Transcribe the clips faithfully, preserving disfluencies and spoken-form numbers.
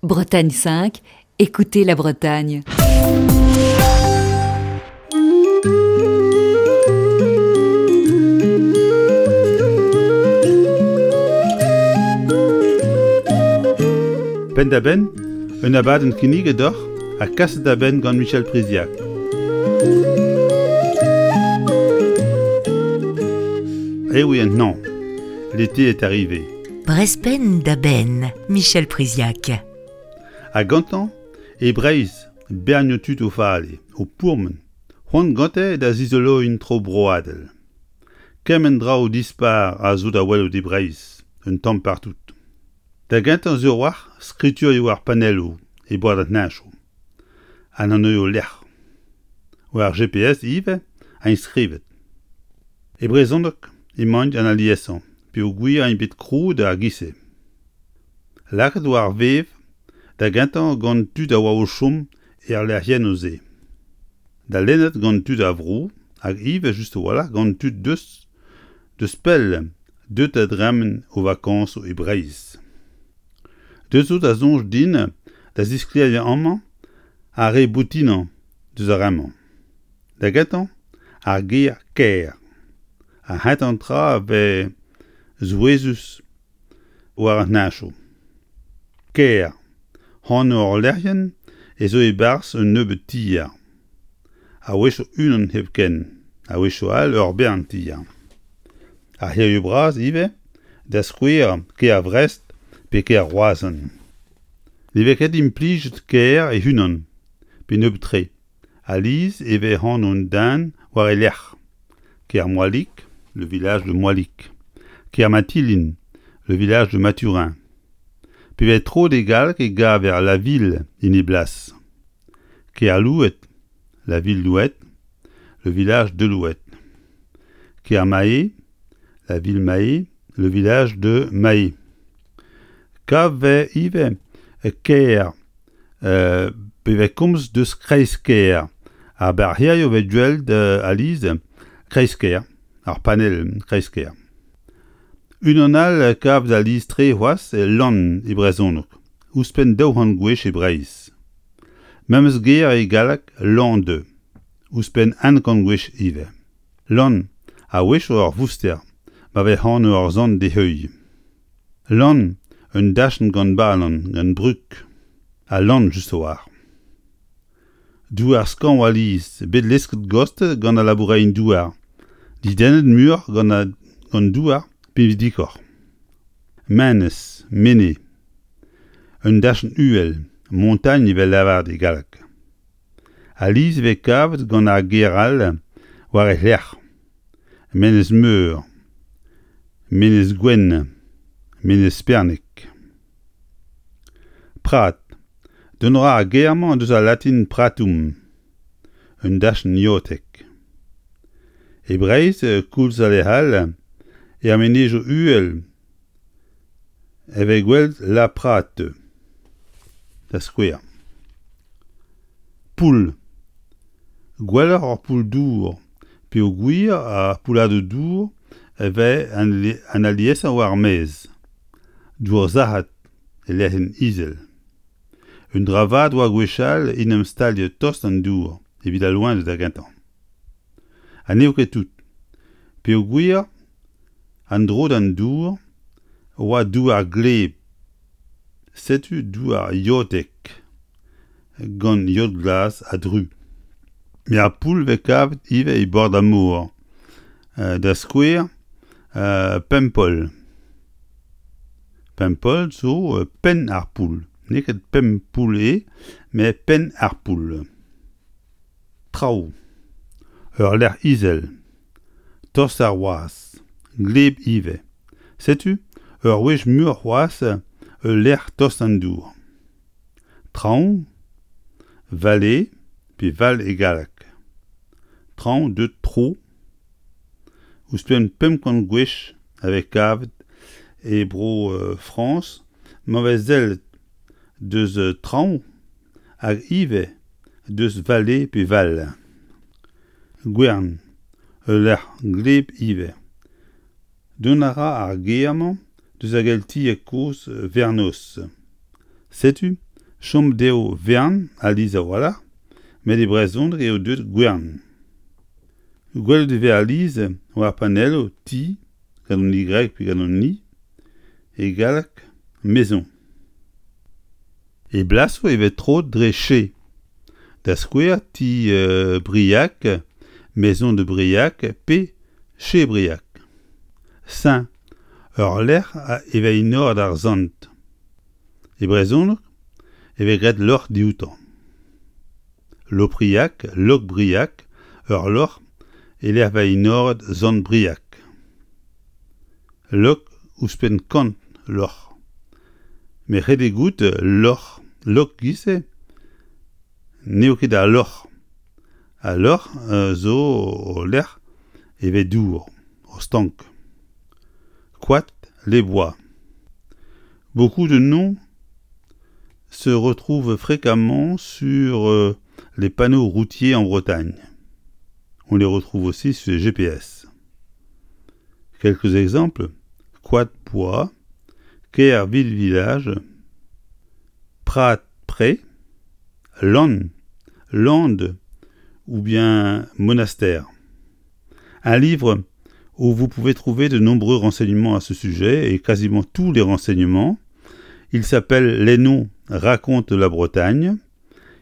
Bretagne cinq, écoutez la Bretagne. Penn-da-benn, un abadenn kinniget deoc'h ha kaset da benn gant Michel Priziac. Eh oui, non, l'été est arrivé. Brezh penn da benn, Michel Priziac. Ha gantañ, e Breizh, bernioù tud o vale, o pourmen, c'hoant gante da zizoloiñ un tro broadel. Kement draoù dispar a zo da welout e Breizh, un tamm partout. Da gentañ sur a-walc'h skriturioù ar panelloù e bord an heñchoù. An anvioù lec'h. War G P S ivez int skrivet. E brezhoneg emaint an aliesañ peogwir int bet krouet ar giz-se. Lakaet war vev da gentañ gant tud a oa o chom er lec'hiennoù-se. Da lennet gant tud a vro hag ivez just a-walc'h gant tud deus deus pell deuet da dremen o vakañsoù e Breizh. Deus zo da soñj din da zisklêriañ amañ ar re boutinañ deus ar re-mañ. Da gentañ, ar ger kêr. Ar c'hentañ tra a vez souezhus war an heñchoù. Kêr, anv ul lec'hienn ez zo e-barzh un nebeud tier. A-wechoù unan hepken, a-wechoù all ur bern tier. Ar c'hêrioù bras ivez, da skouer kêr Vrest pe kêr Roazhon. Ne vez ket implijet kêr e-unan, pe nebeut-tre. Alies e vez anv un den war e lerc'h. Kermoalic, le village de Moalic. Kermatilin, le village de Mathurin. Pe vez troet e galleg e gaver la ville en e blas. Kerlouet, la ville Louet, le village de Louet. Kermae, la ville Mahé, le village de Mahé. Kavet vez ivez kêr, euh, pe vez komz deus kreiz-kêr. Ar barrerioù vez gwelet alies kreiz-kêr, ar panell kreiz-kêr. Unan all kavet alies-tre c'hoazh e lann e brezhoneg, ouzhpenn daou c'hant gwech e Breizh. Memes ger e galleg lande, ouzhpenn un kant gwech ivez. Lann, a-wechoù ur vouster, ma vez anv ur sant d'e heuilh. Lann, un dachenn gant balan, gant brug, ha lann just a-walc'h. Douar skañv alies, bet lesket gost gant al laboureien douar, didennet muioc'h gant a, gant douar pinvidikoc'h. Menez, menez, un dachenn uhel, montagne evel lavaret e galleg. Alies e vez kavet gant ar ger all war e lerc'h. Menez Meur, Menez Gwenn, Menez Spernig. Prat. Dont a ra ar ger-mañ deus al latin pratum, un dachenn iotek. E Breizh, koulz ha lec'h all, er menezioù uhel e vez gwelet La Prate, da skouer. Poull. Gwelloc'h ur poull-dour, peogwir ar poulladoù-dour e vez an aliesañ war ar maez. Dour sac'het e lec'hienn izel. Un dra vat oa gwechall en em staliañ tost an dour evit al loened da gentañ. Ha n'eo ket tout. Peogwir an dro d'an dour oa douar gleb, setu douar iotek gant yod glas ha dru. Met ar poull vez kavet ivez e bord ar mor. Da skouer, Pempol. Pempol zo penn ar poull. N'eo ket pemp poull eo, met penn ar poull. Traoù. Ur lec'h izel. Tost ar wazh. Gleb ivez. Setu ur wech muioc'h c'hoazh ul lec'h tost an dour. Traoñ, vallée pe val e galleg. Traoñ deut tro. Ouzhpenn pemp kant gwech a vez kavet e bro euh, Frañs ma vez sellet deus traoñ hag ivez deus vallée pe val. Gwern, ul lec'h gleb ivez. Dont a ra ar ger-mañ deus ar geltieg kozh Vernos. Setu Chom dezho vern alies a-walc'h, met e brezhoneg eo deuet gwern. Gwelet e vez alies war panelloù ti gant an Y pe gant an I, e galleg maison. E blasoù e vez troet dre chez. Da skouer ti euh, Briac, maison de Briac pe chez Briac. Saint, ur lec'h e vez enoret ar sant. E brezhoneg e vez graet loc'h dioutañ. Lopriac, Lokbriac, ur loc'h e lec'h vez enoret sant Briac. Lok ouzhpenn kant loc'h. Met ret eo goût loc'h, lok giz-se n'eo ket al loc'h. Al loc'h zo ul lec'h e vez dour, ur stank. Koad, les bois. Beaucoup de noms se retrouvent fréquemment sur euh, les panneaux routiers en Bretagne. On les retrouve aussi sur les G P S. Quelques exemples: Koad Bois, Ker Ville Village, Prat Pré, Lann, Lande ou bien Monastère. Un livre où vous pouvez trouver de nombreux renseignements à ce sujet et quasiment tous les renseignements. Il s'appelle Les noms racontent la Bretagne.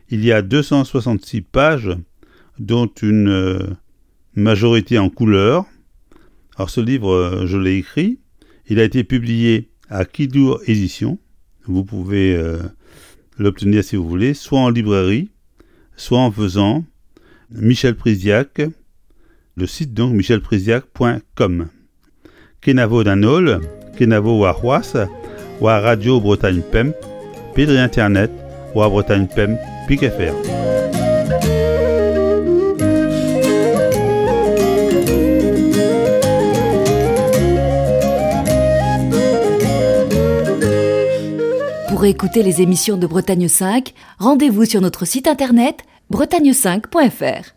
Il y a deux cent soixante-six pages, dont une, euh, majorité en couleur. Alors ce livre, euh, je l'ai écrit. Il a été publié à Kidour Éditions. Vous pouvez, euh, l'obtenir si vous voulez, soit en librairie, soit en faisant Michel Priziac, le site donc michel priziac point com. Kenavo d'an holl, kenavo war c'hoazh, war Radio Bretagne Pemp, pe dre internet, war Bretagne Pemp, pik F R. Pour écouter les émissions de Bretagne cinq, rendez-vous sur notre site internet bretagne cinq point F R.